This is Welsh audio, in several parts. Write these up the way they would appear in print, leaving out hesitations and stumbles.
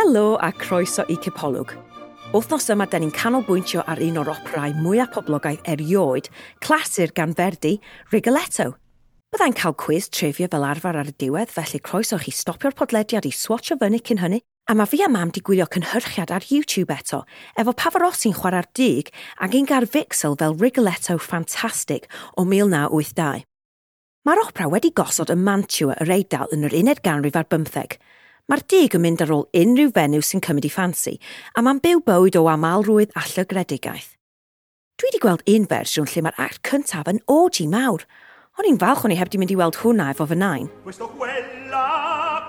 Helo a croeso i Cipolwg. Wythnos yma, da ni'n canolbwyntio ar un o'r operau mwyaf poblogaidd erioed, clasur gan Verdi, Rigoletto. Byddai'n cael cwiz trivia fel arfer ar y diwedd, felly croeso chi stopio'r podlediad i swatio fyny cyn hynny. A mae fi a mam di gwylio cynhyrchiad ar YouTube eto, efo Pavarotti'n chwarae'r dug ac un gar Vixel fel Rigoletto Fantastic o 1982. Mae'r opera wedi gosod ym Mantua yr Eidal yn yr uned ganrif ar bymtheg. Mae'r dug yn mynd ar ôl unrhyw fenyw sy'n cymryd i ffansi, a mae'n byw bywyd o amalrwydd a llygredigaeth. Dwi wedi gweld un fersiwn lle mae'r act cyntaf yn orgy mawr. O'n i'n falch o'n i heb di mynd i weld hwnna efo fy nain. Questo quella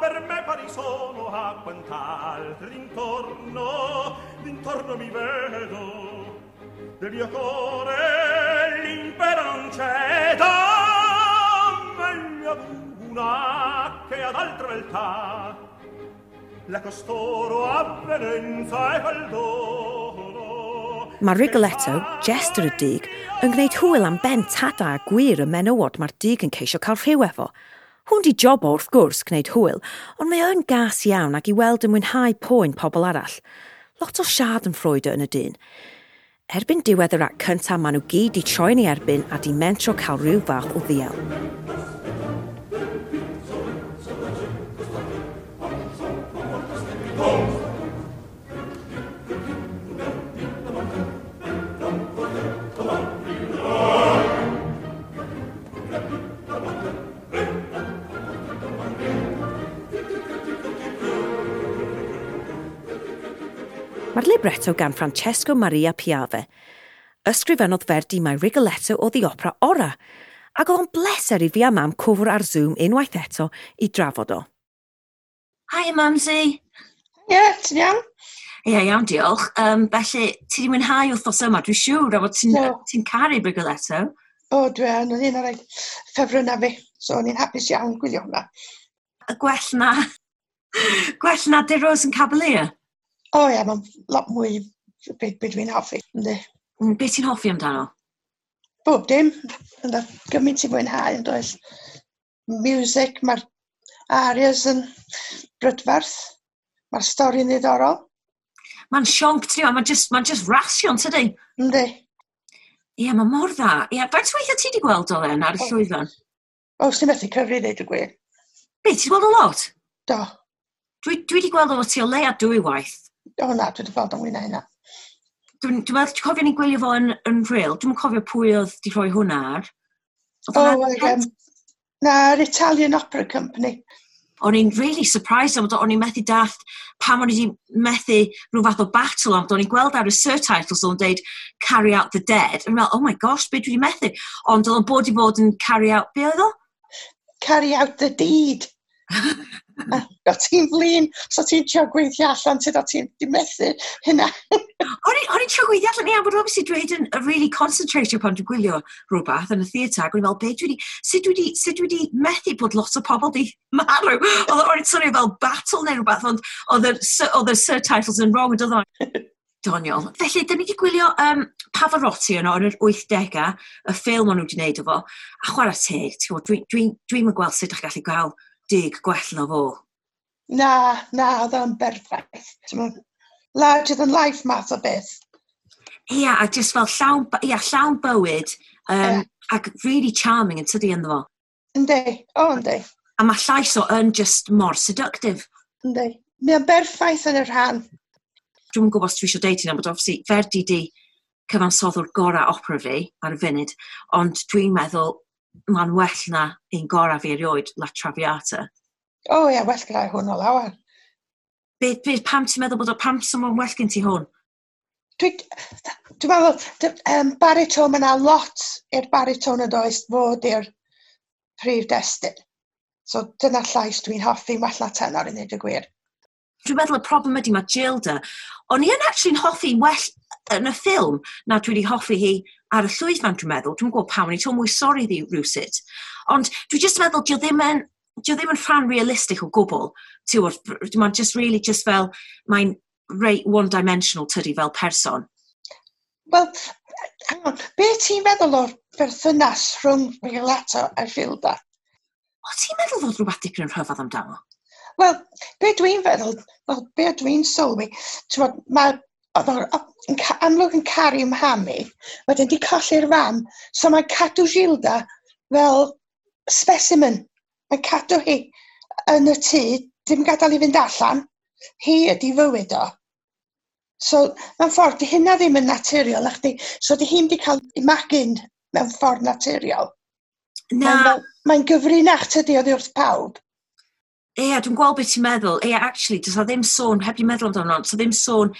per me pari sono a quant'altri d'intorno, d'intorno mi vedo. Del mio cuore l'impero non ceda, meglio ad una che ad altra beltà. La costoro avvenenza e quel dono. Mae Rigoletto, jester y dug, yn gwneud hwyl am ben tada a gwir y menywod mae'r dug yn ceisio cael rhyw efo. Hwn di job o wrth gwrs gwneud hwyl, ond mae o'n gas iawn ac i weld yn mwynhau poen pobl arall. Lot o schadenfreude yn y dyn. Erbyn diwedd yr act cyntaf, maen nhw gyd di troi'n ei erbyn a di mentro cael rhyw fath o ddiel. Mae'r libretto gan Francesco Maria Piave. Ysgrifennodd Verdi mai Rigoletto oedd ei opera ora, ac oedd o'n bleser i fi a mam cwfr ar Zoom unwaith eto i drafod o. Hi, Mamsi. Ie, yeah, ti'n iawn? Ie, yeah, iawn, diolch. Felly, ti wedi mwynhau wythnos yma, dwi'n siŵr, a fod ti'n ti caru Rigoletto. O, dwi yn, oedd un o'r ffefrynnau fi, so o'n i'n hapus iawn gwylio hwnna. Y gwell na, gwell na De Rose yn Cavalier? O ie, mae'n lot mwy be, be dwi'n hoffi, yndi. Be ti'n hoffi amdano? Bob dim. Ynddo, gymaint ti'n mwynhau, yn does. Music, mae'r arias yn brydferth. Mae'r stori'n ddiddorol. Mae'n sionc, ti'n mae'n just, ma just rasion, tydi? Yndi. Ie, mae mor dda. Ie, faint weithiau ti wedi gweld o then ar y llwyfan? O, sy'n methu cyfri ddeud y gwir. Be, ti wedi gweld o lot? Do. Dwi wedi gweld o ti o leia dwy waith. O na, dwi wedi gweld o'n mwy na hynna. Dwi'n dwi meddwl, ti'n cofio ni'n gwylio fo yn real? Dwi'n cofio pwy oedd di rhoi hwnna ar. O, na'r Italian Opera Company. O'n i'n really surprised am o'n i'n methu dallt pam o'n i wedi methu rhyw fath o battle am o'n i'n gweld ar y surtitles o'n deud carry out the dead. O'n i'n meddwl, oh my gosh, be dwi wedi methu? Ond oedd o'n bod i fod yn carry out, be oedd o? Carry out the deed. O ti'n flin, so ti'n trio gweithio allan sut o ti'n di methu hynna. O'n i'n trio gweithio allan, ia, but obviously dwi hyd yn really concentratio pan dwi'n gwylio rhywbeth yn y theatr, ac o'n i'n meddwl, be dwi wedi, sut dwi wedi methu bod lot o pobl di marw? Oedd o'n swnio fel battle neu rhywbeth, ond oedd y surtitles yn wrong, yn doedd o? Doniol. Felly, dyn ni wedi gwylio Pavarotti yno yn yr 80au, y ffilm o'n nhw wedi gwneud efo, a chwarae teg, ti'n gwybod, dwi'n dwi, dwi dwi gweld sut ydych chi'n gallu gael dug gwell na fo. Na, na, oedd o'n berffaith. Larger than life math o beth. Ia, a just fel llawn, ia, llawn bywyd, yeah. Ac really charming yn tydi ynddo fo. Yndi, o yndi. A mae llais o yn just mor seductive. Yndi. Mae o'n berffaith yn y rhan. Dwi'm yn gwybod os dwi eisiau deud hynna, but obviously Verdi di cyfansoddwr gorau opera fi ar y funud, ond dwi'n meddwl mae'n well na un gorau fi erioed, La Traviata. O ie, well gyda hwn o lawer. Be, pam ti'n meddwl bod o, pam sy'n well gen ti hwn? Dwi'n dwi meddwl, baritone, mae yna lot i'r baritone yn does fod i'r prif destun. So dyna llais dwi'n hoffi, well na tenor i wneud y gwir. Dwi'n meddwl y problem ydy mae Gilda, o'n i yn actually'n hoffi well yn y ffilm na dwi wedi hoffi hi ar y llwyfan, dwi'n meddwl. Dwi'n gwybod pam, o'n i'n teimlo mwy sori iddi rhywsut. Ond dwi just yn meddwl, dio ddim yn rhan realistig o gwbl. Ti'n gwbod, mae'n just really just fel, mae'n reit one-dimensional tydi fel person. Wel, hang on, be ti'n meddwl o'r berthynas rhwng Rigoletto a Gilda? O, ti'n meddwl fod rhywbeth dipyn yn rhyfedd amdano? Wel, be dwi'n feddwl, wel, be dwi'n sylwi, ti'n mae oedd o'n amlwg yn caru mhami, wedyn di colli'r fam, so mae'n cadw Gilda fel specimen. Mae'n cadw hi yn y tŷ, dim gadael i fynd allan. Hi ydi fywyd o. So, mewn ffordd, di hynna ddim yn naturiol, na chdi. So, di hi'n di cael ei magu'n mewn ffordd naturiol. Na. Mae'n mae gyfrinach tydi oddi wrth pawb. Ie, dwi'n gweld beth ti'n meddwl. Ie, actually, does na ddim sôn, heb di meddwl amdano, does na ddim sôn,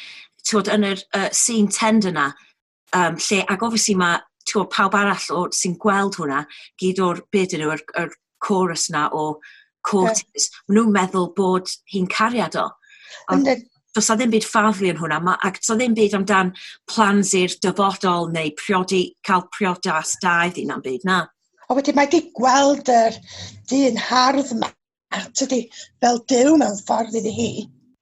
ti'n yn yr scene tender na, lle, ac obviously mae, ti'n pawb arall o, sy'n gweld hwnna, gyd o'r, beth nhw, yr chorus na o courtiers, yeah. Maen nhw'n meddwl bod hi'n cariad o. Ond does na ddim byd ffaflu yn hwnna, ac does na ddim byd amdan plans i'r dyfodol neu priodi, cael priodas da iddi na'n byd, na. O wedyn mae di gweld yr dyn hardd yma, tydi, fel Duw mewn ffordd iddi hi.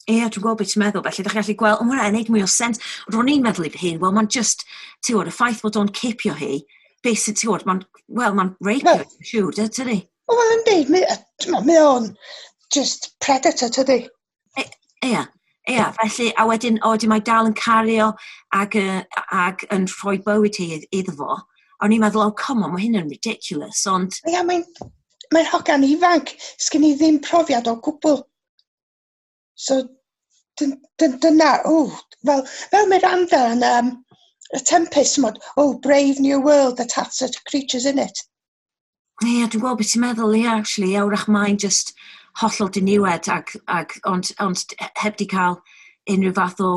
Ie, dwi'n gweld beth ti'n meddwl, felly ddech chi'n gallu gweld, ond hwnna'n neud mwy o sens. Ro'n i'n meddwl i fy hun, wel, mae'n just, ti'n gwybod, y ffaith bod o'n cipio hi, beth sy'n, ti'n gwybod, mae'n, wel, mae'n reipio, well, siŵr, dydy? Wel, yndi, mae o'n just predator, tydi? Ie, ie, felly, a wedyn, o, wedyn mae dal yn cario ac, ac yn rhoi bywyd hi iddo fo. A o'n i'n meddwl, oh, come on, mae hyn yn ridiculous, ond... Ie, mae'n hogan ifanc, sgyn i ddim profiad o gwbl. So, dyna, o, fel Miranda yn y Tempest, mod, oh, brave new world that hath such creatures in it. Ie, yeah, dwi'n gweld beth ti'n meddwl, ie, yeah, actually, ie, wrach mae'n just hollol diniwed, ac, ond heb di cael unrhyw fath o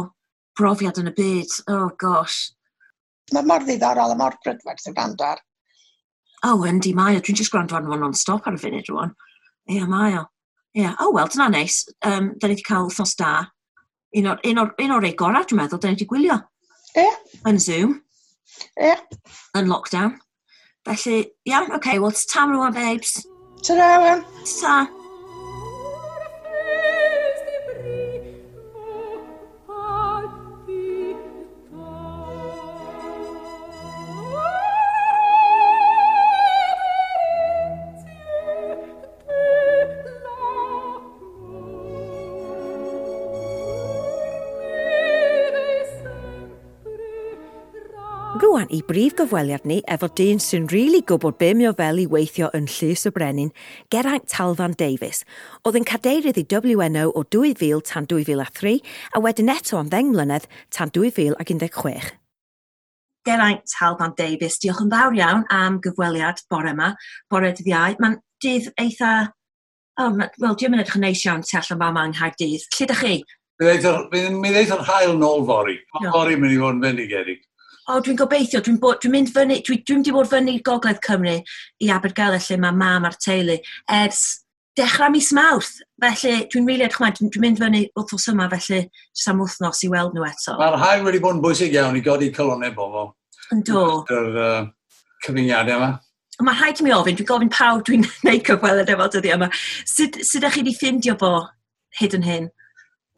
brofiad yn y byd. Oh, gosh. Mae mor ddiddorol a mor brydferth i wrando ar. Oh, yndi, mae o. Dwi'n just gwrando arno fo non-stop ar y funud rwan. Ie, yeah, mae o. Ie, yeah. Oh, wel, dyna neis. Da ni wedi cael wythnos da. Un o'r, un o'r, un o'r rei gorau, dwi'n meddwl, da ni wedi gwylio. Ie. Yeah. Yn Zoom. Ie. Yeah. Yn lockdown. Felly, iawn, oce, okay, wel, ta rwan, babes. Ta-ra, wan. Ta. Rwan i brif gyfweliad ni efo dyn sy'n rili gwybod be mae o fel i weithio yn Llys y Brenin, Geraint Talfan Davies, oedd yn cadeirydd i WNO o 2000 tan 2003 a wedyn eto am 10 mlynedd tan 2016. Geraint Talfan Davies, diolch yn fawr iawn am gyfweliad bore yma, bore dydd Iau. Mae'n dydd eitha... Oh, wel, diolch yn edrych yn neis iawn tu allan fama yng Nghaerdydd. Lle dych chi? Mi ddeith yr haul nôl fory. Mae fory mynd i fod yn fendigedig. O, dwi'n gobeithio, dwi'n mynd fyny, dwi'n di bod fyny i Gogledd Cymru i Abergele lle mae mam a'r teulu ers dechrau mis Mawrth. Felly dwi'n rili edrych ymlaen, dwi'n mynd fyny wythnos yma, felly jyst am wythnos i weld nhw eto. Mae'r haul wedi bod yn bwysig iawn i godi calonnau bobl. Ynddo. Yr cyfyngiadau yma. Mae rhaid i mi ofyn, dwi'n gofyn pawb dwi'n gwneud cyfweliad efo dyddiau yma. Sut ydych chi wedi ffindio fo hyd yn hyn?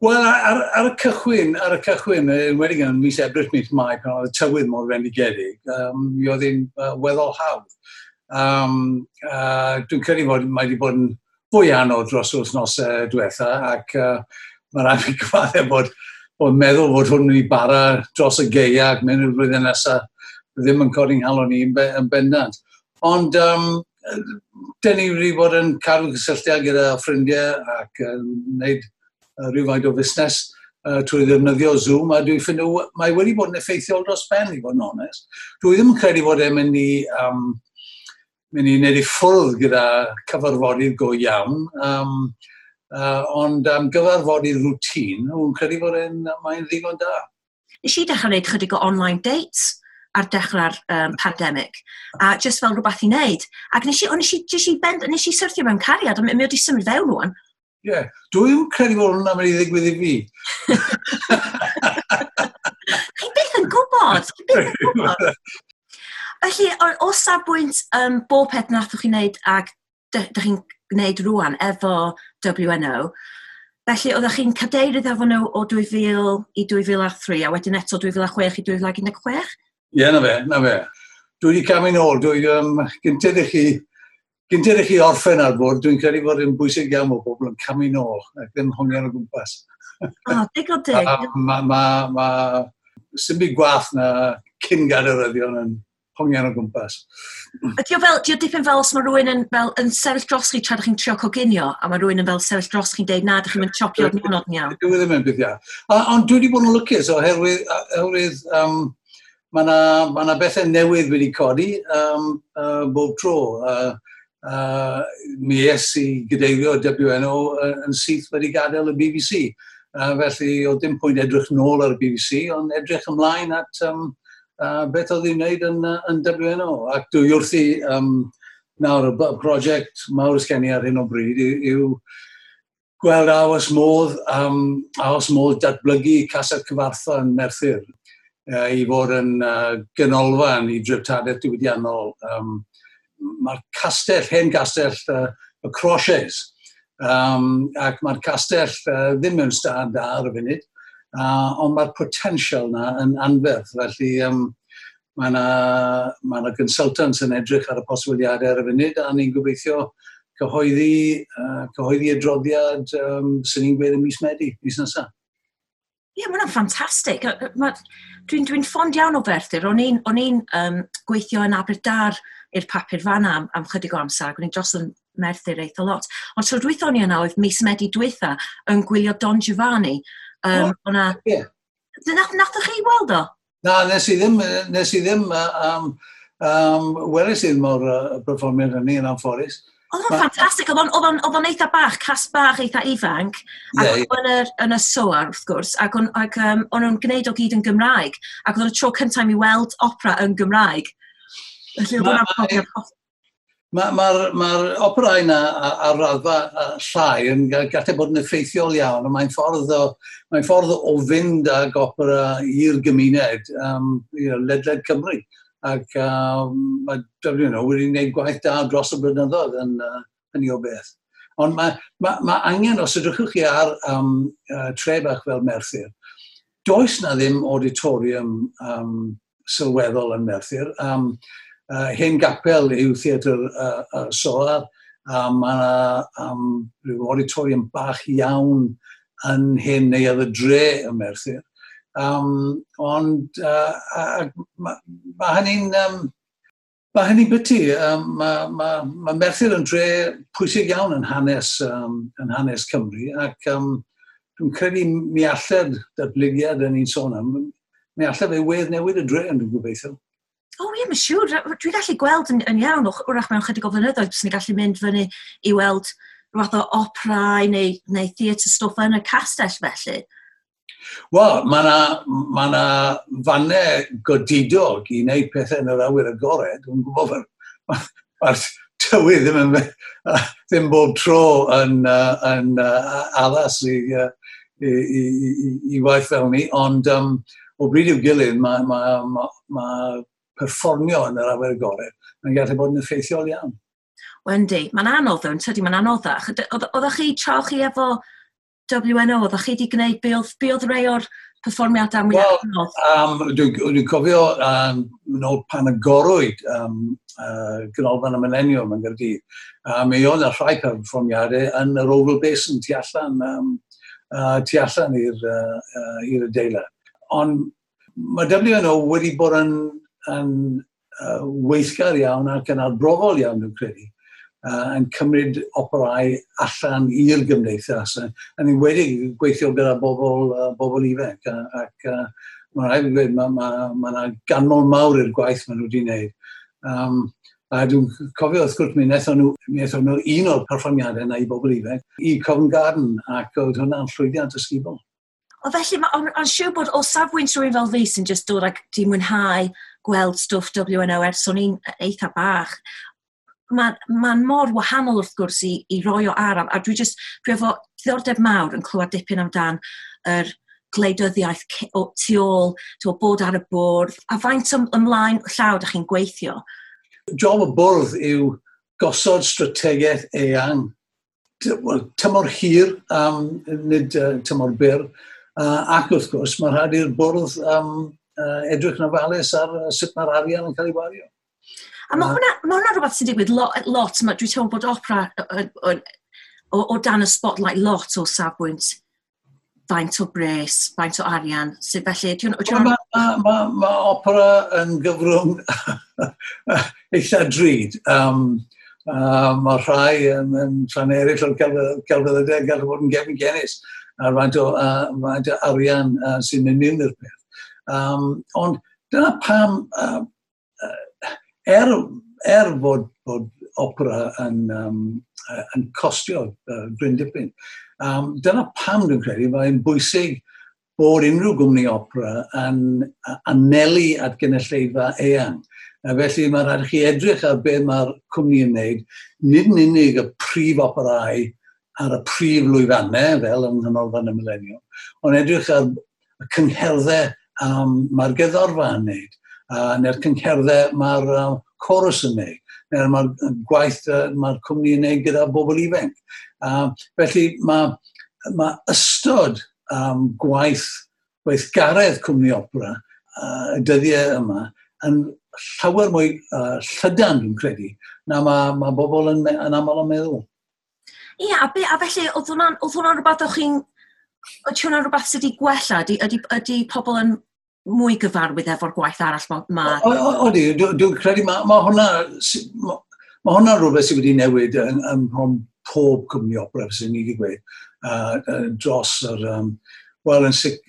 Wel, ar y cychwyn, enwedig yn mis Ebrill, mis Mai, pan oedd y tywydd mor fendigedig, mi oedd hi'n weddol hawdd. Dwi'n credu fod mae wedi bod yn fwy anodd dros wythnosau diwetha, ac mae rhaid fi gyfaddef bod meddwl fod hwn yn ei bara dros y gaea ac mewn i'r flwyddyn nesaf ddim yn codi'n nghalon i yn bendant. Ond dyn ni wedi bod yn cadw cysylltiad gyda ffrindiau ac yn gwneud rhywfaint o fusnes trwy ddefnyddio Zoom, a dwi'n ffindio mae wedi bod yn effeithiol dros ben, i fod yn onest. Dwi ddim yn credu fod e'n mynd i wneud i ffwrdd gyda cyfarfodydd go iawn, ond am gyfarfodydd routine, dwi'n credu fod mae'n ddigon da. Nes i dechrau wneud chydig o online dates ar dechrau'r pandemig, a just fel rhywbeth i wneud. Ac nes i syrthio mewn cariad, a mi wedi symud fewn rwan. Ie, yeah. Dwi'n credu bod hwnna'n mynd i ddigwydd i fi. Chi byth yn gwybod, chi byth yn gwybod. Felly, o safbwynt bob peth nathoch chi wneud ac dych chi'n gwneud rwan efo WNO, felly oeddech chi'n cadeirydd efo nhw o 2000 i 2003 a wedyn eto 2006 i 2016? Ie, na fe. Dwi wedi camu nôl. Dwi gyntaf i chi Gynted i chi orffen ar bwrdd, dwi'n credu fod yn bwysig iawn o bobl yn camu nôl ac ddim hongian o gwmpas. O, digon teg. Ma, sy'n byd gwath na cyn gadeiryddion yn hongian o gwmpas. Ydy o fel, di o dipyn fel os mae rhywun yn, fel, yn sefyll dros chi tra ydych chi'n trio coginio, a mae rhywun yn fel sefyll dros chi'n deud, na, ydych chi'n mynd chopio'r nionod yn iawn. Dwi ddim yn beth iawn. Ond dwi wedi bod yn lwcus oherwydd mae yna ma bethau newydd wedi codi bob tro. Mi es i gadeirio WNO yn syth wedi gadael y BBC. Felly, oedd dim pwynt edrych nôl ar y BBC, ond edrych ymlaen at beth oedd i'n wneud yn WNO. Ac dwi wrthi nawr y prosiect mawr sgen i ar hyn o bryd yw gweld a oes modd datblygu Castell Cyfarthfa yn Merthyr i fod yn ganolfan i dreftadaeth diwydiannol. Mae'r castell, hen gastell y Crawshays, ac mae'r castell ddim mewn stad da ar y funud, ond mae'r potensial na yn anferth, felly mae yna ma consultants yn edrych ar y posibiliadau ar y funud, a ni'n gobeithio cyhoeddi adroddiad sy'n ni'n gweud yn mis Medi, mis nesaf. Ie, yeah, mae hwnna'n ffantastig. Dwi'n dwi ffond iawn o Ferthyr. O'n i'n gweithio yn Aberdar i'r papur fanna am chydig o amser, ac o'n i'n dros yn Merthyr eitha lot. Ond tro dwytha o'n i yna oedd mis Medi dwytha yn gwylio Don Giovanni. Oh, o'na. Yeah. Nathoch chi weld o? Na, nes i ddim, weles i ddim o'r perfformiad hynny yn anffodus. Oedd o'n ffantastig, oedd o'n eitha bach, cast bach eitha ifanc, ac oedd o'n yn y Soar, wrth gwrs, ac o'n nhw'n gwneud o gyd yn Gymraeg, ac oedd o'n y tro cyntaf i mi weld opera yn Gymraeg. Felly oedd hwnna'n profiad. Mae'r ma operau yna ar raddfa llai yn gallu bod yn effeithiol iawn, a mae'n ffordd o fynd ag opera i'r gymuned ledled Cymru. Ac mae WNO wedi gwneud gwaith da dros y blynyddoedd yn hynny o beth. Ond mae angen, os ydrychwch chi ar tre bach fel Merthyr, does na ddim auditorium sylweddol yn Merthyr. Hen gapel yw Theatr Soar, a mae yna rhyw auditorium bach iawn yn hen neuadd y dre ym Merthyr. Ond mae hynny'n biti. Mae Merthyr yn dre pwysig iawn yn hanes Cymru ac dwi'n credu mi allai'r datblygiad yn un sôn am, mi allai fe wedd newid y dre yn dwi'n gobeithio. O ie, mae'n siŵr. Dwi'n gallu gweld yn iawn, wrach mewn chydig o flynyddoedd, bys ni'n gallu mynd fyny i weld rhywbeth o operau neu theatr stwff yn y castell felly. Wel, mae yna ma na fannau godidog i wneud pethau yn yr awyr agored. Dwi'n gwybod mae'r tywydd ddim bob tro yn addas i waith fel ni, ond o bryd i'w gilydd mae ma perfformio yn yr awyr agored mae'n gallu bod yn effeithiol iawn. Wendy, mae'n anodd ddo, yn tydi, mae'n anoddach. Oeddech chi, tra chi efo WNO, oeddech chi wedi gwneud, be oedd rhai o'r perfformiadau mwyaf Wel, anodd? Dwi'n dwi cofio nôl pan agorwyd Ganolfan y Mileniwm yn Gaerdydd. Mi oedd yna rhai perfformiadau yn yr Oval Basin tu allan i'r adeilad. Ond mae WNO wedi bod yn weithgar iawn ac yn arbrofol iawn, dwi'n credu, yn cymryd operau allan i'r gymdeithas. Yn enwedig gweithio gyda bobl ifanc. Ac mae'n rhaid i gweud, mae ma yna ganmol mawr i'r gwaith maen nhw wedi wneud. A dwi'n cofio wrth gwrs mi wnaethon nhw un o'r perfformiadau yna i bobl ifanc i Covent Garden ac oedd hwnna'n llwyddiant ysgubol. O felly, ond siŵr bod o safbwynt rhywun fel fi sy'n just dod ac di mwynhau gweld stwff WNO ers o'n i'n eitha bach, mae'n ma mor wahanol wrth gwrs i roi o ar, a dwi efo diddordeb mawr yn clywed dipyn amdan yr gwleidyddiaeth tu ôl, tu ôl bod ar y bwrdd, a faint ymlaen llaw ydych chi'n gweithio? Job y bwrdd yw gosod strategaeth eang, well, tymor hir, nid tymor byr, ac wrth gwrs mae rhaid i'r bwrdd edrych yn ofalus ar sut mae'r arian yn cael ei wario. A mae hwnna rhywbeth sy'n digwydd lot, dwi'n teimlo bod opera o dan y spotlight lot o safbwynt faint o bres, faint o arian, sydd felly... Mae opera yn gyfrwng eitha drud. Mae rhai yn rhan eraill o'r celfyddydau gallu bod yn gefn genus a faint o arian sy'n mynd mewn i'r peth. Ond dyna pam, er bod opera yn costio gryn dipyn, dyna pam dwi'n credu mae'n bwysig bod unrhyw gwmni opera yn anelu at gynulleidfa eang. A felly mae rhaid i chi edrych ar beth mae'r cwmni yn wneud, nid yn unig y prif operau ar y prif lwyfannau, fel yng Nghanolfan y Mileniwm, ond edrych ar y cyngherddau mae'r gerddorfa yn wneud, neu'r cyngherddau mae'r chorus yn wneud, neu'r mae'r gwaith mae'r cwmni yn wneud gyda bobl ifanc. Felly mae ystod gwaith gweithgaredd cwmni opera y dyddiau yma yn llawer mwy llydan, dwi'n credu, na mae bobl yn aml yn meddwl. Ie, a felly, oedd hwnna'n rhywbeth o'ch chi'n... Oedd hwnna'n rhywbeth sydd wedi gwella? Ydy pobl yn mwy gyfarwydd efo'r gwaith arall? Odi, dwi'n credu mae hwnna rhywbeth sydd wedi newid ym pob cwmni opera, sy'n ni wedi gweud, dros yr... Wel, yn sicr,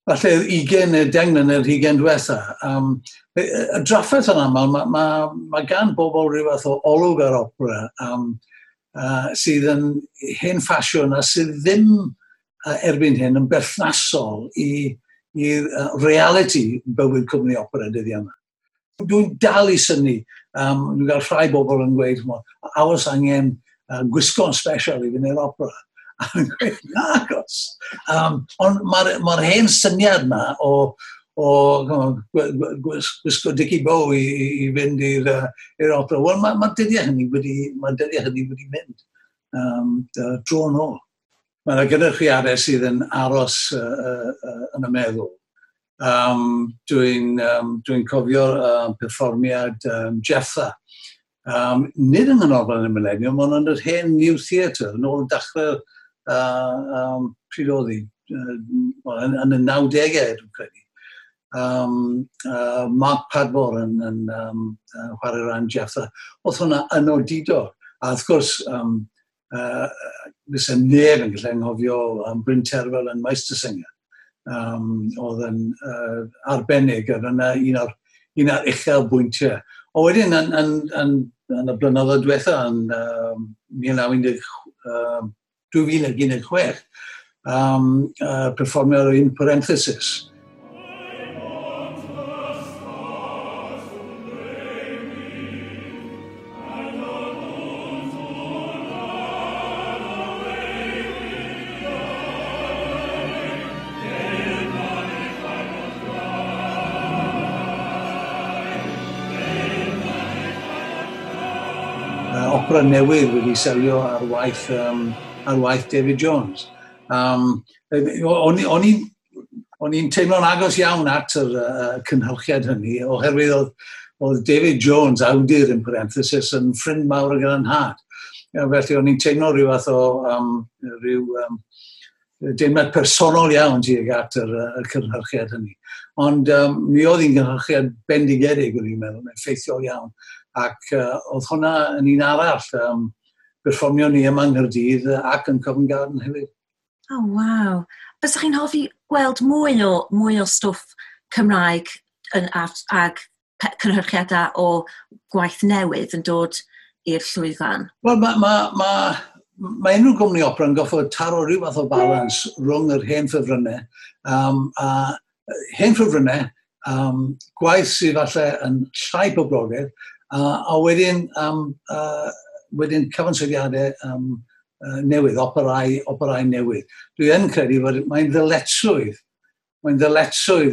falle 20 neu 10 mlynedd, 20 diwetha. Y drafferth yn aml, mae gan bobl rhyw fath o olwg ar opera sydd yn hen ffasiwn a sydd ddim erbyn hyn yn berthnasol i reality bywyd cwmni opera dyddiau yma. Dwi'n dal i synnu. Dwi'n cael rhai bobl yn gweud, a oes angen gwisgo'n special i fynd i'r opera. A dwi'n gweud, nagos. Ond mae'r hen syniad yma o gwisgo Dickie Bow i fynd i'r opera. Wel, mae dyddiau hynny wedi mynd dro yn ôl. Mae yna gynyrchiadau sydd yn aros yn y meddwl. Dwi'n cofio'r perfformiad Jephtha. Nid yng Nghanolfan y Mileniwm, ond yn yr hen New Theatre, yn ôl dechrau pryd oedd hi, yn y 90au, dwi'n credu. Mark Padmore yn chwarae rhan Jephtha. Oedd hwnna yn odidog. A wrth gwrs, fysa neb yn gallu anghofio Bryn Terfel yn Meistersinger. Oedd yn arbennig, oedd yna un o'r uchel bwyntiau. O wedyn, yn y blynyddoedd diwetha, yn 2016, perfformio un Parenthesis. Opera newydd wedi selio ar waith David Jones. O'n i'n teimlo'n agos iawn at yr cynhyrchiad hynny, oherwydd oedd David Jones, awdur yn Parenthesis, yn ffrind mawr gyda'n nhad. Felly o'n i'n teimlo rhyw fath o deimlad personol iawn tuag at yr cynhyrchiad hynny. Ond mi oedd hi'n gynhyrchiad bendigedig, o'n i'n meddwl, effeithiol iawn. Ac oedd hwnna yn un arall, perfformio ni yma yng Nghaerdydd ac yn Covent Garden hefyd. Oh, waw. Bysach chi'n hoffi gweld mwy o stwff Cymraeg ag cynhyrchiadau o gwaith newydd yn dod i'r llwyfan? Wel, mae unrhyw gwmni opera yn goffod taro rhyw fath o balans rhwng yr hen ffefrynnau, a hen ffefrynnau, gwaith sydd falle yn llai poblogaidd, a wedyn cyfansoddiadau newydd, operau newydd. Dwi yn credu bod mae'n ddyletswydd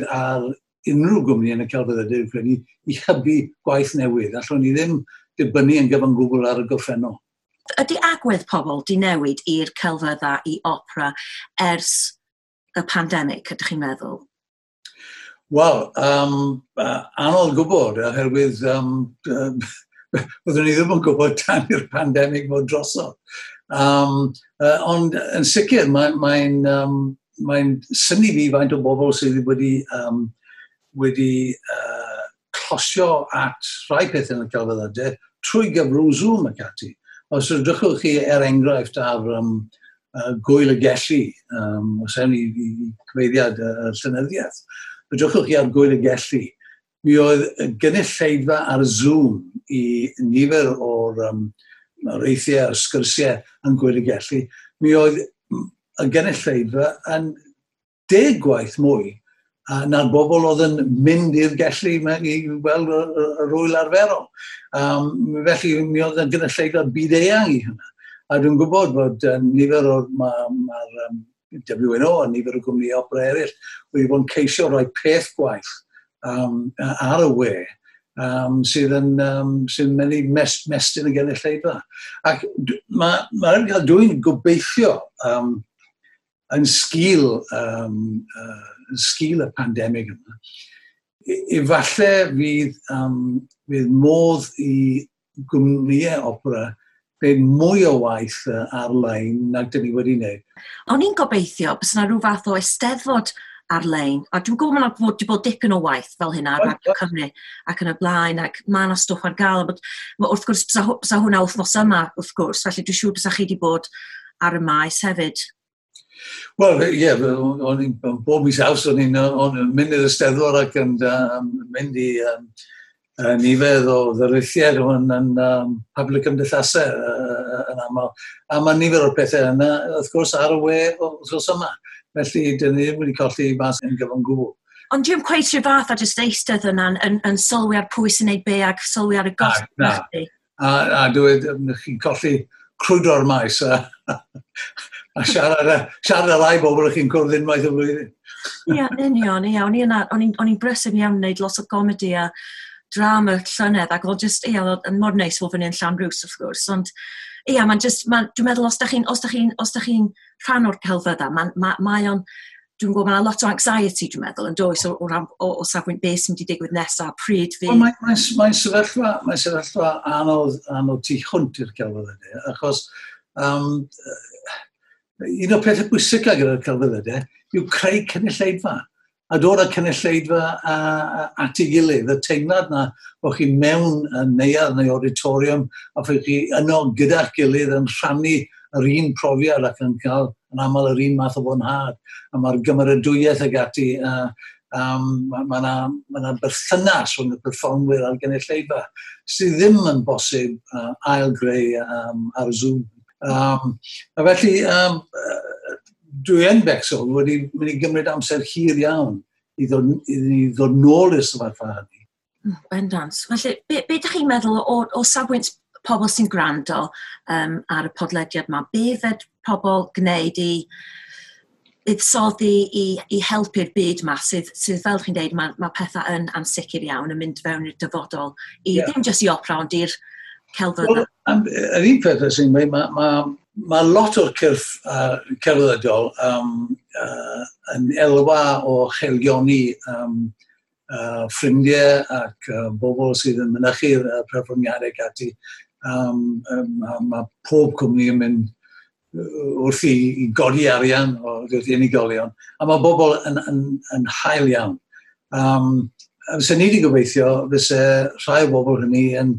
ar unrhyw gwmni yn y celfyddydau, dwi'n credu, i hybu gwaith newydd. Allwn ni ddim dibynnu yn gyfan gwbl ar y gorffennol. Ydy agwedd pobl di newid i'r celfyddau, i opera, ers y pandemig, ydych chi'n meddwl? Wel, anodd gwybod, oherwydd byddwn ni ddim yn gwybod tan i'r pandemig fod drosodd. Ond yn sicr, mae'n synnu fi faint o bobl sydd wedi closio at rhai pethau yn y celfyddydau trwy gyfrwng Zoom ac ati. Os edrychwch chi er enghraifft ar Gwyl y Gelli, os ewn i cyfeiriad y llenyddiaeth, edrychwch chi ar Gwyl y Gelli, mi oedd y gynulleidfa ar Zoom i nifer o'r areithiau a'r sgyrsiau yn Gwyl y Gelli, mi oedd y gynulleidfa yn 10 gwaith mwy na'r bobl oedd yn mynd i'r Gelli i weld yr wyl arferol. Felly mi oedd y gynulleidfa byd-eang i hynna. A dwi'n gwybod bod nifer o'r mae'r WNO a nifer o gwmnïau opera eraill wedi bod yn ceisio rhoi peth gwaith ar y we sydd yn sy'n mynd i mestyn y gynulleidfa. Ac dwi'n gobeithio yn sgil y pandemig yma, efallai fydd modd i gwmnïau opera gwneud mwy o waith ar-lein nag dyn ni wedi wneud. O'n i'n gobeithio bys yna rhyw fath o eisteddfod ar-lein, a dwi'n gwybod mae'n bod wedi bod dipyn o waith fel hynna ar Radio Cymru ac yn y blaen, ac mae yna stwff ar gael, but, wrth gwrs, bysa hwnna wythnos yma, wrth gwrs, felly dwi'n siŵr bysa chi wedi bod ar y maes hefyd. Wel, ie, yeah, o'n i'n bob mis Awst, o'n i'n mynd i'r Eisteddfod ac yn mynd i nifer o ddarlithiau yn public cymdeithasau yn aml. A mae nifer o'r pethau yna, wrth gwrs, ar y we wrth yma. Felly, dyn ni ddim wedi colli mas yn gyfan gwbl. Ond dwi'n cweit rhyw fath a jyst eistedd yna yn sylwi ar pwy sy'n neud be ac sylwi ar y gosod. Na, A dwi'n chi'n colli crwydro'r maes a siarad â rai bobl ych chi'n cwrdd unwaith y flwyddyn. Ie, union, ie. O'n i'n brysur iawn yn gwneud lot o gomedi a drama llynedd, ac oedd just, ie, oedd yn mor neis fod fyny yn Llanrwst, wrth gwrs, ond ie, mae'n just, dwi'n meddwl os da chi'n rhan o'r celfyddau, mae o'n, dwi'n gwybod, mae'n lot o anxiety, dwi'n meddwl, yn does, o safbwynt beth sy'n mynd i digwydd nesaf, pryd fydd. Mae'n sefyllfa anodd tu hwnt i'r celfyddydau, achos un o'r pethau pwysicaf gyda'r celfyddydau yw creu cynulleidfa. A dod â cynulleidfa at ei gilydd. Y teimlad na bod chi mewn neuadd neu auditorium a bod chi yno gyda'ch gilydd yn rhannu yr un profiad ac yn cael yn aml yr un math o fwynhad. A mae'r gymeradwyaeth ag ati, mae yna berthynas rhwng y perfformwyr a'r gynulleidfa sydd ddim yn bosib ail-greu ar Zoom. A felly, dwi yn becso wedi mynd i gymryd amser hir iawn i ddod nôl i'r sefyllfa hynny. Bendant. Felly, be ydych chi'n meddwl o safbwynt pobl sy'n gwrando ar y podlediad yma? Be fed pobl gwneud i buddsoddi i helpu'r byd yma sydd fel chi'n deud, mae pethau yn ansicr iawn yn mynd fewn i'r dyfodol, i ddim jyst i opera, ond i'r celfyddydau. Wel, yr un peth sy'n dweud, mae lot o'r cyrff celfyddydol yn elwa o chelioni ffrindiau ac bobl sydd yn mynychu'r perfformiadau ac ati. Mae pob cwmni yn mynd wrth i godi arian o unigolion, a mae bobl yn hael iawn. Fysa ni wedi gobeithio, fysa rhai o bobl hynny yn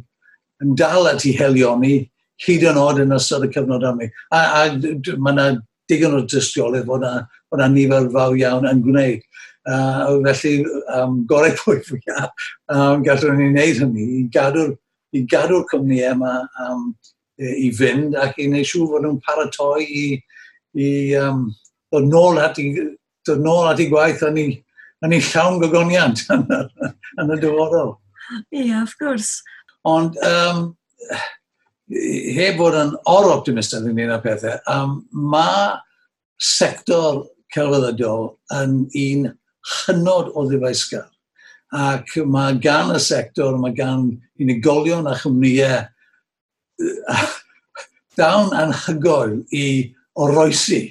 dal at ei helioni hyd yn oed yn ystod y cyfnod yma. A mae yna digon o dystiolaeth fod yna nifer fawr iawn yn gwneud. Felly, gorau pwy fwyaf gallwn ni wneud hynny i gadw'r cwmnïau yma i fynd ac i wneud siŵr fod nhw'n paratoi i ddod nôl at ei gwaith yn ei llawn gogoniant yn y dyfodol. Ie, yeah, of course. Ond heb fod yn or-optimistaidd ynglyn â pethau, mae sector celfyddydol yn un hynod o ddyfeisgar. Ac mae gan y sector, mae gan unigolion a chwmnïau dawn anhygoel i oroesi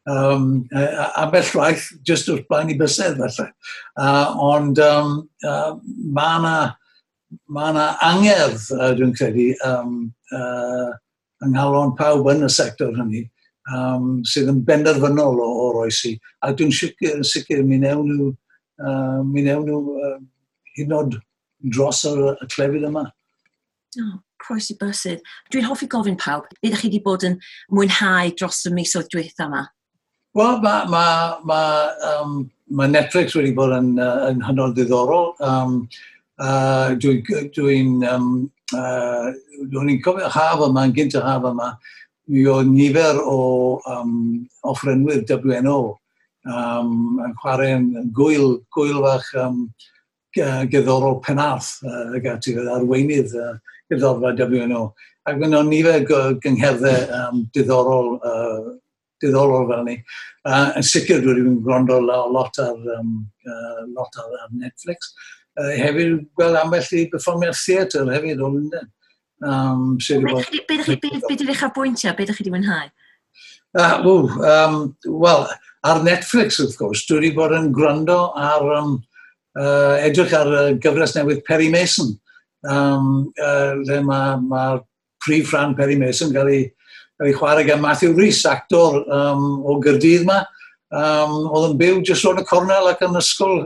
Ambell waith, jyst wrth blaen i bysedd, falle. Ond mae yna ma na angerdd, dwi'n credu, yng nghalon pawb yn y sector hynny, sydd yn benderfynol o oroesi. A dwi'n sicr mi newn nhw, hyd yn oed dros y clefyd yma. Oh, croesi bysydd. Dwi'n hoffi gofyn pawb, beth ydych chi wedi bod yn mwynhau dros y misoedd dwytha yma? Wel, ma Netflix wedi bod yn hynod ddiddorol. Dwi'n cofio haf yma, yn gynt y haf yma, mi oedd nifer o offerynwyr WNO yn chwarae yn gwyl fach gerddorol Penarth, ag ati, arweinydd gerddorfa WNO. Ac mae yna nifer gyngherddau diddorol fel ni. Yn sicr dwi wedi gwrando lot ar Netflix. Hefyd gweld ambell i berfformiad theatr hefyd o Lundain. Be ydych uchafbwyntiau? Be ydych chi wedi mwynhau? Wel, ar Netflix, wrth gwrs, dwi wedi bod yn gwrando ar edrych ar gyfres newydd Perry Mason, lle mae'r prif rhan Perry Mason gael ei chwarae gan Matthew Rhys, actor o Gaerdydd yma. Oedd yn byw jyst rownd y cornel ac yn ysgol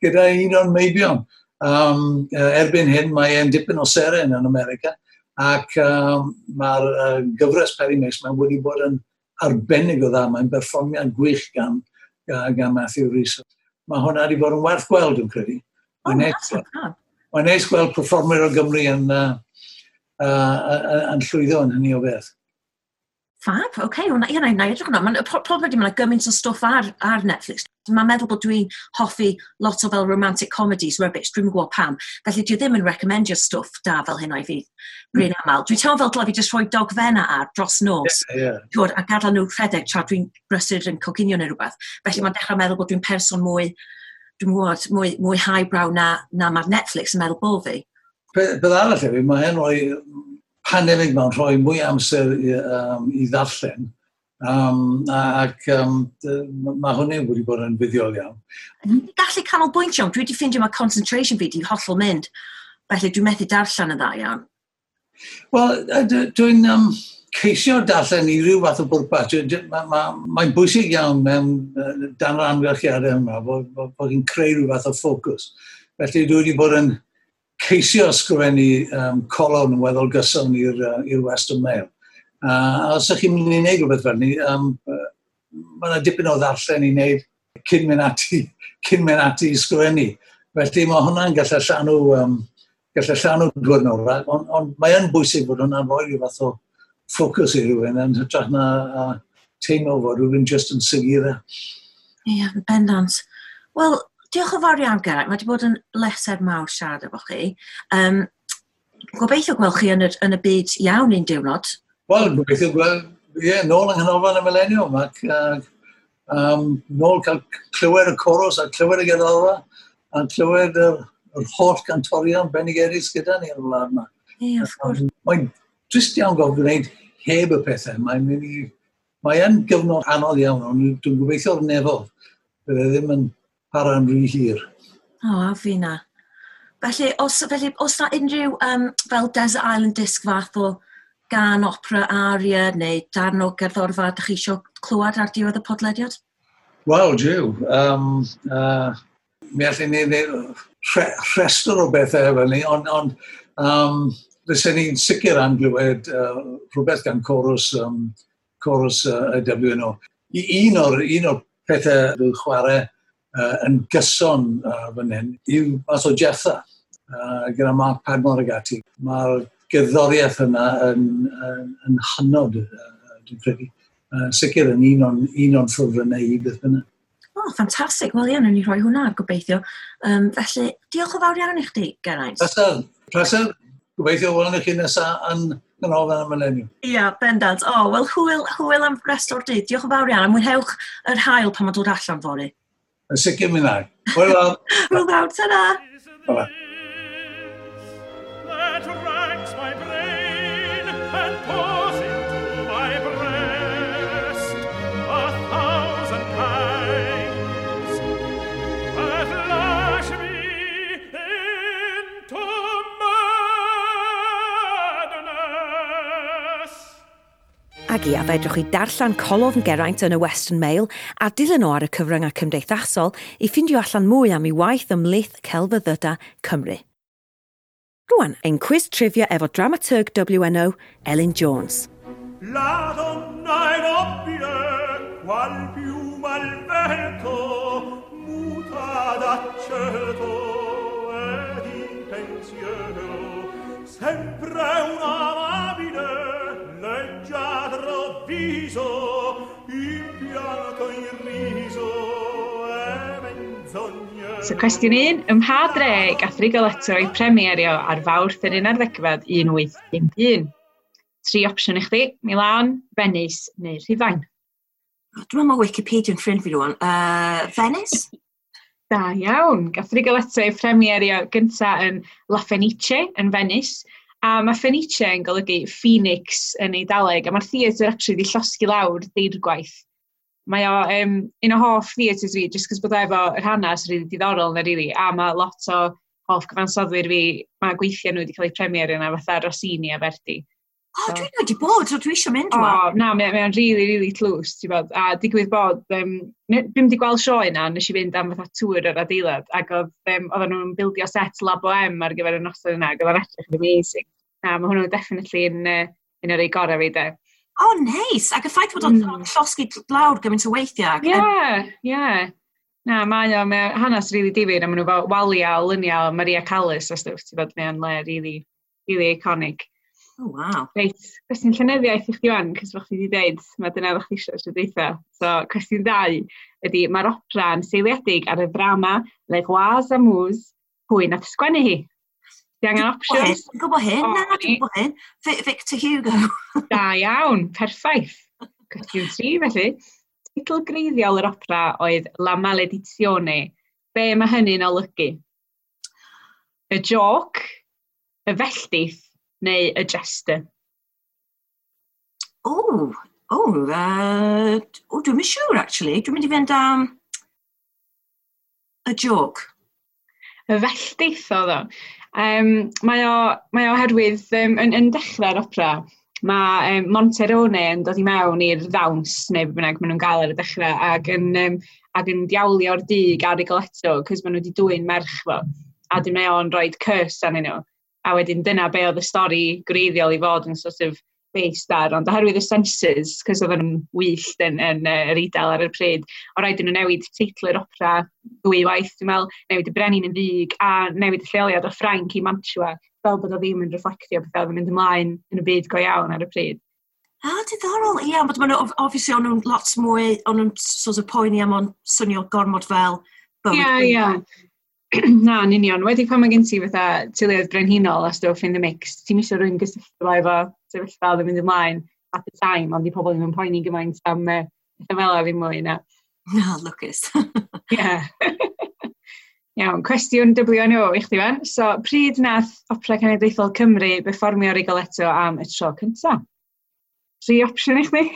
gyda un o'n meibion. Erbyn hyn mae e'n dipyn o seren yn America, ac mae'r gyfres Perry Mason wedi bod yn arbennig o dda. Mae'n berfformiad gwych gan Matthew Rhys. Mae hwnna wedi bod yn werth gweld, dwi'n credu. Mae'n neis gweld perfformwyr o Gymru yn llwyddo yn hynny o beth. Fab, oce, okay, na i edrych hwnna. Problem ydy, mae'n gymaint o stwff ar Netflix. Mae'n meddwl bod dwi'n hoffi lot o fel romantic comedies, rubbish, dwi'n gwybod pam. Felly dwi ddim yn recommendio stwff da fel hynna i fi, rhan aml. Dwi'n teimlo fel dylai fi jyst rhoi dogfenna ar dros nos, yeah. Twod, a gadael nhw rhedeg tra dwi'n brysur yn coginio neu rhywbeth. Felly mae'n dechrau meddwl bod dwi'n person mwy, dwi'n gwybod, mwy highbrow na mae'r Netflix yn meddwl bod fi. Beth arall hefyd, mae hyn rhoi pandemig mewn rhoi mwy amser i ddarllen, ac mae hwnna wedi bod yn fuddiol iawn. Gallu canolbwyntio, dwi wedi ffeindio mae concentration fi wedi hollol mynd, felly dwi'n methu darllen yn dda iawn. Wel, dwi'n ceisio darllen i ryw fath o bwrpas. Mae'n bwysig iawn mewn dan yr amgylchiadau yma bod chi'n creu rhyw fath o ffocws. Felly dwi wedi bod yn ceisio ysgrifennu colofn yn weddol gyson i'r Western Mail. A os ydych chi'n mynd i wneud rhywbeth fel ni, mae yna dipyn o ddarllen i wneud cyn mynd ati i ysgrifennu. Felly mae hwnna'n gallu llanw diwrnod, ond mae yn bwysig bod hwnna'n rhoi rhyw fath o ffocws i rhywun yn hytrach na teimlo fod rhywun jyst yn segura. Ie, yeah, bendant. Wel, diolch yn fawr iawn, Geraint. Mae wedi bod yn bleser mawr siarad efo chi. Gobeithio gweld chi yn y byd iawn un diwrnod. Wel, gobeithio gweld, ie, nôl yng Nghanolfan y Mileniwm ac nôl cael clywed y coros a clywed y gerddorfa a clywed yr holl gantorion bendigedig gyda ni yn y wlad yma. Ie, wrth gwrs. Mae'n drist iawn gofyn gwneud heb y pethau. Mae'n gyfnod anodd iawn, ond dwi'n gobeithio'r nefodd. Bydde ddim yn para'n rhy hir. O, a fi na. Felly, os na unrhyw fel Desert Island Disc fath o gan opera aria neu darn o gerddorfa ydych chi eisiau clywed ar diwedd y podlediad? Wel, jiw. Mi allwn ni wneud rhestr o bethau efo ni, ond fysen ni'n sicr am glywed rhywbeth gan chorus y WNO. Un o'r pethau dwi'n chwarae yn gyson fan hyn yw math o Jephtha gyda Mark Padmore ag ati. Mae'r gerddoriaeth yna yn hynod, dwi'n credu. Sicr yn un o'n ffefrynnau i beth bynnag. O, ffantastig. Wel, ie, wnawn ni rhoi hwnna ar gobeithio. Felly, diolch yn fawr iawn i chdi, Geraint. Pleser. Gobeithio welwn i chi nesaf yn Ganolfan y Mileniwm. Ia, bendant. O, wel, hwyl am rest o'r dydd. Diolch yn fawr iawn. A mwynhewch yr haul pan mae'n dod allan fory. Yn sicr mi wna i. Hwyl fawr. Hwyl fawr, ta-ra. Bye-bye. That racks my brain and pours into my breast. Ac ia, fedrwch chi darllen colofn Geraint yn y Western Mail a dilyn o ar y cyfryngau cymdeithasol i ffindio allan mwy am ei waith ymhlith celfyddydau Cymru. Rwan, ein cwis trivia efo dramaturg WNO, Elin Jones. La donna è nobile, qual piuma al vento, muta d'accento e di pensiero, sempre un'amabile, leggiadro viso, in pianto in riso e menzognero. So cwestiwn 1, ym mha dre gath Rigoletto ei premierio ar Fawrth yr 11fed 1851? Tri opsiwn i chdi, Milan, Venice neu Rhufain. Dwi'n meddwl mae Wikipedia yn ffrind fi rwan. Venice? Da iawn. Gath Rigoletto ei premierio gynta yn La Fenice yn Venice. A mae Fenice yn golygu Phoenix yn Eidaleg, a mae'r theatr actually wedi llosgi lawr deirgwaith. Mae o un o hoff theatres fi, jyst cos bod o efo yr hanes rili diddorol yna, really, a mae lot o hoff gyfansoddwyr fi, mae gweithiau nhw wedi cael eu premierio yna, fatha Rossini a Verdi. O, dwi'n wedi bod, so dwi eisiau mynd O, rwan. Na, mae o'n really, really tlws, ti'n bod. A digwydd bod, dwi'm wedi gweld sioe yna, nes i fynd am fatha tŵr yr adeilad, ac oedden nhw'n bildio set La Bohème ar gyfer y noson yna, ac oedd o'n edrych yn amazing. Na, mae hwnnw definitely yn un o'r ei gorau fi, de. O, neis. Ac y ffaith bod o'n llosgi lawr gymaint o weithiau. Ie. Na, mae o hanes really difyr, a maen nhw fel waliau o luniau o Maria Callas a stwff, ti'n bod, mae o'n le really, really iconic. Oh, wow. Reit, cwestiwn llenyddiaeth i chdi wan, cos fel chdi wedi dweud, mae dyna ddech chi eisiau tro dwytha. So, cwestiwn 2 ydy, mae'r opera yn seiliedig ar y ddrama Les Rois Amours, pwy nath sgwennu hi? Di angen options? Dwi'n gwybod hyn, O, na, dwi'n ni. gwybod hyn. Victor Hugo. Da iawn, perffaith. Cwestiwn 3, felly. Teitl greiddiol yr opera oedd La Maledizione. Be mae hynny'n olygu? Y joke, y felldith, neu y jester? O, dwi'm yn siŵr, actually. Dwi'n mynd i fynd am y joke. Y felldith oedd o. Mae o oherwydd yn dechrau'r opera, mae Monterone yn dod i mewn i'r ddawns, neu be bynnag maen nhw'n gael ar y dechrau, ac yn diawlio'r dug ar Rigoletto, cos maen nhw wedi dwyn merch fo. A dyn mae o'n rhoi curse arnyn nhw. A wedyn dyna be oedd y stori gwreiddiol i fod yn sort of based ar, ond oherwydd y censors, cos oedden nhw'n wyllt yn yr Eidal ar y pryd, o rhaid i nhw newid teitl yr opera ddwy waith, dwi'n meddwl, newid y brenin yn ddig, a newid y lleoliad o Ffrainc i Mantua, fel bod o ddim yn reflectio beth oedd yn mynd ymlaen yn y byd go iawn ar y pryd. Ah, diddorol, ie, yeah, but maen nhw, obviously, o'n nhw'n lot mwy, o'n nhw'n sort of poeni am o'n swnio gormod fel bywyd. Ie, ie. Na, yn union. Wedi pan mae gen ti fatha teuluoedd brenhinol a stwff in the mix, ti'n isio rhywun gysylltu fo efo sefyllfa oedd yn mynd ymlaen at the time, ond di pobl ddim yn poeni gymaint am pethau fel 'na ddim mwy na. Na, lwcus. Ie. Iawn, cwestiwn WNO i chdi fan. So, pryd nath Opera Cenedlaethol Cymru berfformio Rigoletto am y tro cynta? Tri opsiwn i chdi.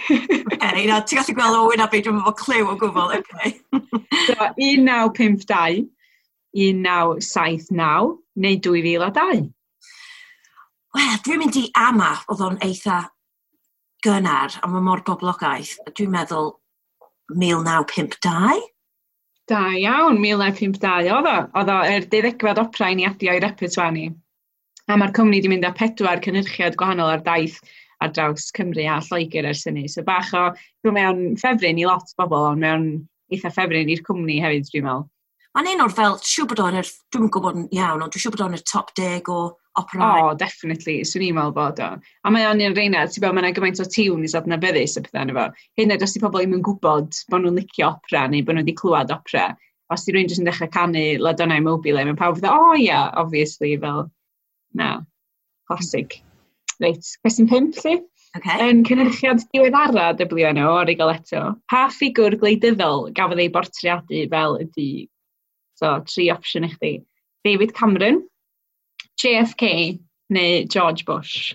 Okay, na, ti'n gallu gweld o wyneb fi, dwi'm efo cliw o gwbl, okay. So, 1952, 1979 neu 2002. Wel, dwi'n mynd i ama, oedd o'n eitha gynnar, a mae mor boblogaidd. Dwi'n meddwl 1952. Da iawn, 1952 oedd o. Oedd o yr deuddegfed opera i ni adio i repertoire ni. A mae'r cwmni wedi mynd â pedwar cynhyrchiad gwahanol ar daith ar draws Cymru a Lloegr ers hynny. So bach o, dwi'n mewn ffefryn i lot o bobl, ond mewn eitha ffefryn i'r cwmni hefyd, dwi'n meddwl. Mae'n un o'r fel, siŵr bod o'n yr, dwi'm yn gwybod yn iawn, ond dwi'n siŵr bod o'n yr top 10 o operau. O, definitely, swn i'n meddwl bod o. A mae o'n un reina, ti'n gwybod, mae yna gymaint o tunes adnabyddus a pethau yna fo. Hyd yn oed os di pobl ddim yn gwybod bod nhw'n licio opera neu bod nhw wedi clywed opera, os di rhywun jyst yn dechrau canu La Donna è Mobile, mae pawb fatha, oh yeah, obviously, fel, na, classic. Reit, cwestiwn 5, lle? Okay. Yn cynhyrchiad diweddara WNO o Rigoletto, pa ffigwr gwleidyddol gafodd ei bortreadu fel y dug? So, tri opsiwn i chdi. David Cameron, JFK neu George Bush?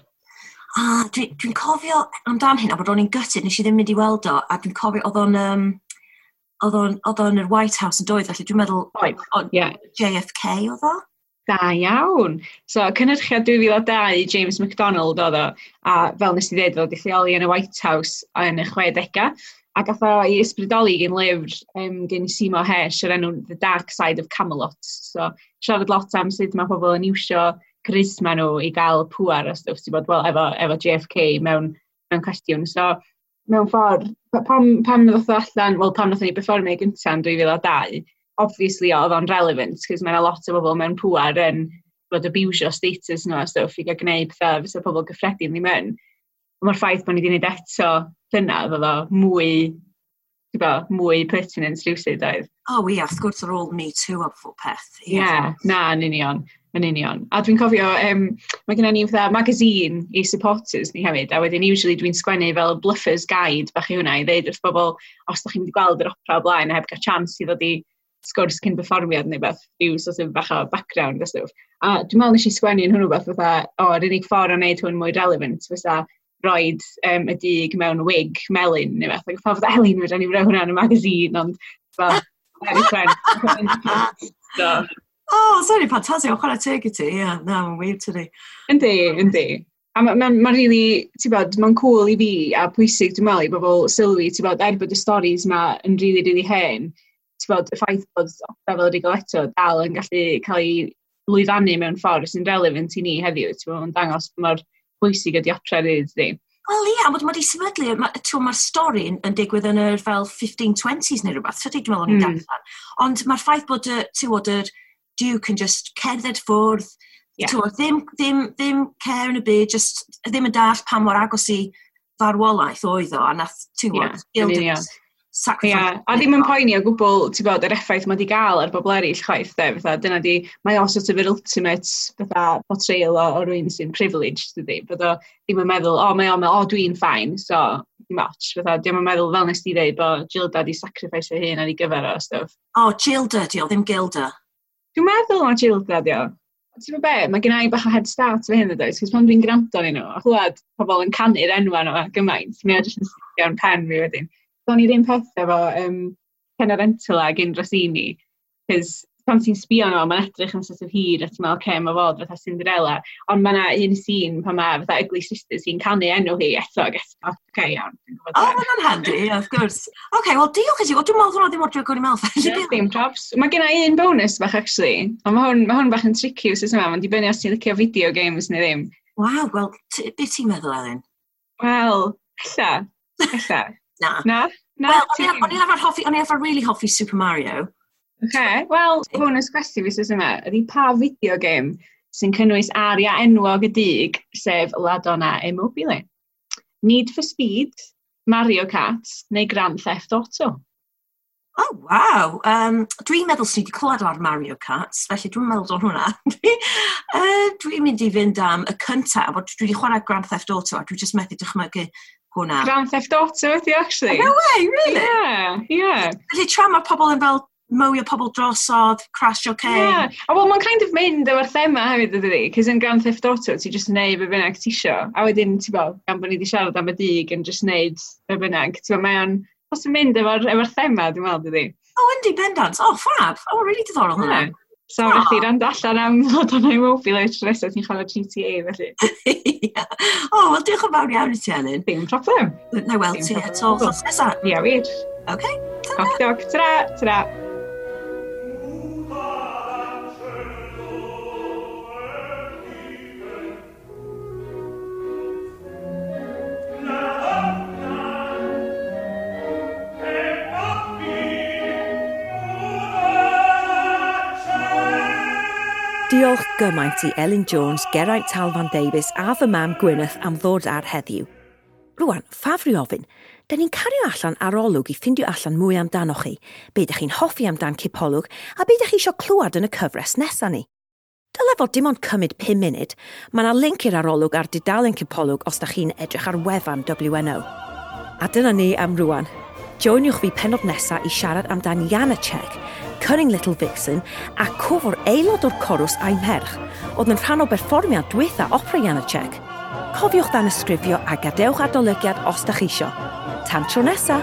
Ah, dwi cofio amdan hyn, a bod o'n i'n gutted, nes i ddim mynd i weld o, a dwi'n cofio oedd o'n yr White House yn doedd, felly dwi'n meddwl Oedd, ie. JFK oedd o? Da iawn. So, cynhyrchiad 2002 James MacDonald oedd o, a fel nes i ddweud, oedd wedi lleoli yn y White House yn y 60au, a gath o ei ysbrydoli gen lyfr gen Seymour Hersh o'r enw The Dark Side of Camelot. So, siarad lot am sut mae pobl yn iwsio charisma nhw i gael pŵar a stwff, ti'n bod, wel, efo JFK mewn cwestiwn. So, mewn ffordd, pam ddoth o allan, wel, pam nathon ni berfformio gyntaf yn 2002, obviously oedd o'n relevant, cos mae yna lot o bobl mewn pŵar yn bod abusio status nhw a stwff i gael gwneud pethau fysa pobl gyffredin ddim yn. Ond mae'r ffaith bod ni wedi gwneud eto llynedd, oedd o mwy, ti'n bod, mwy pertinent rhywsut oedd. O, oh, ie, wrth gwrs ar ôl Me Too a pob peth. Ie, yeah, na, yn union, yn union. A dwi'n cofio, mae gennym ni fatha magazine i supporters ni hefyd, a wedyn usually dwi'n sgwennu fel bluffer's guide bach i hwnna i ddeud wrth bobl, os da chi'n mynd i gweld yr opera o blaen a heb gael chance i ddod i sgwrs cyn perfformiad neu beth, rhyw sort of bach o background a stwff. A dwi'n meddwl nes i sgwennu yn hwnnw beth fatha, o, yr unig ffordd o wneud hwn mwy relevant fysa roed y dug mewn wig melyn neu beth. Ac pawb fatha, Elin, fedra ni roi hwnna yn y magazine, ond fel, very friend. So, Oh, sorry, ffantastig, o chwarae teg i ti, ie, na, mae'n wir tydi. Yndi, yndi. A mae'n ma really, ti'n bod, mae'n cool i fi a pwysig, dwi'n meddwl, i bobl sylwi, ti'n bod, er bod y stories ma yn really, really hen, ti'n bod, y ffaith bod opera fel Rigoletto dal yn gallu cael ei lwyfannu mewn ffordd sy'n relevant i ni heddiw, ti'n bod, mae'n dangos mor bwysig ydi opera rili, dydi. Wel ie, yeah, mae di sefydlu, mae'r ma stori yn digwydd yn yr fel 1520s neu rhywbeth, tydi, dwi'n meddwl o'n i'n darllen. Ond mae'r ffaith bod y, ti'n bod, yr Duke yn just cerdded ffwrdd, yeah. Ddim care yn y byd, just ddim yn dallt pa mor agos i farwolaeth oedd o, a nath, ti'n bod, yeah, sacrifice. Yeah. A ddim yn poeni o gwbl, ti'n bod, yr effaith mae di gael ar bobl eraill chwaith, de, fatha, dyna di, mae o sort of yr ultimate fatha, portrayal o rywun sy'n privileged, dydi, bod o ddim yn meddwl, o, mae o'n meddwl, o, dwi'n fine, so, dim ots, fatha, dim yn meddwl, fel nes di dweud, bod Gilda di sacrifice ei hun ar ei gyfer o, stuff. O, Gilda, di o, ddim Gilda. Dwi'n meddwl na Gilda, di o. Ti'n gwybod be, mae gen i bach o head start fy hyn ydoes, cos pan dwi'n gwrando arnyn nhw, a chlywed pobl yn canu'r enwa nhw gymaint, mae o jyst yn sticio yn pen fi wedyn. Do'n i ddim peth efo Cenerentola gyn Rossini, cos pan ti'n sbio nhw, mae'n edrych yn sort of hir, a ti'n meddwl, oce, mae fod fatha Cinderella, ond mae yna un scene pan mae fatha Ugly Sister sy'n canu enw hi eto, ac eto, oce, iawn. O, oh, mae hwnna'n handi, yeah, of course. Oce, wel, diolch i ti. Wel, dwi'n meddwl hwnna ddim mor drwg o'n i'n meddwl. Ie, ddim props. Mae gen i un bonus bach, actually, ond mae hwn bach yn tricky wsos yma, mae'n dibynnu os ti'n licio video games neu ddim. Waw, wel, beth ti'n meddwl, Elin? Wel, ella, ella. Na. Na? Na, Wel, o'n i'n arfer hoffi, o'n i'n arfer really hoffi Super Mario. Oce, wel, bonus cwestiwn fi wsos yma, ydy pa video game sy'n cynnwys aria enwog y dug, sef La Donna è Mobile? Need for Speed, Mario Kart neu Grand Theft Auto? Oh, waw. Dwi'n meddwl sy'n wedi clywed ar Mario Kart, felly dwi'n meddwl o'n hwnna. Dwi'n mynd i fynd am y cyntaf, bod dwi wedi chwarae Grand Theft Auto a dwi jyst methu dychmygu hwnna. Grand Theft Auto ydi, actually. Oh, no way, really? Yeah, yeah. Felly tra mae pobl yn fel mowio pobl drosodd, crashio ceir. Yeah. A wel, mae'n kind of mynd efo'r thema hefyd, ydy, cos yn Grand Theft Auto, ti jyst yn neud be bynnag ti isio. A wedyn, ti'n bod, gan bod ni wedi siarad am y dug yn jyst neud be bynnag. Ti'n bod, mae o'n, os yn mynd efo'r thema, dwi'n meddwl, dydy. Oh, yndi, bendant. Oh, fab. Oh, really diddorol hwnna. Yeah. So, oh. Felly, rand allan am La Donna è Mobile tro nesaf ti'n chwarae GTA, felly. Yeah. Oh, wel, diolch yn fawr iawn i ti, Elin. Dim problem. Na weld ti eto wythnos nesaf. Ia, wir. OK. Ta-ra. Ok, ta-ra, ta-ra. Diolch gymaint i Elin Jones, Geraint Talfan Davies a fy mam Gwyneth am ddod ar heddiw. Rwan, ffafri ofyn, da ni'n cario allan arolwg i ffindio allan mwy amdanoch chi, be ydych chi'n hoffi amdan Cipolwg a be ydych chi eisiau clywed yn y cyfres nesaf ni. Dyle fod dim ond cymryd 5 munud, mae yna link i'r arolwg ar dudalen Cipolwg os da chi'n edrych ar wefan WNO. A dyna ni am rwan. Joiniwch fi pennod nesaf i siarad amdan Janacek, Cunning Little Vixen a cwfwr aelod o'r corws a'i merch, oedd yn rhan o berfformiad dwytha opera Janacek. Cofiwch danysgrifio a gadewch adolygiad os da chi isio. Tan tro nesa!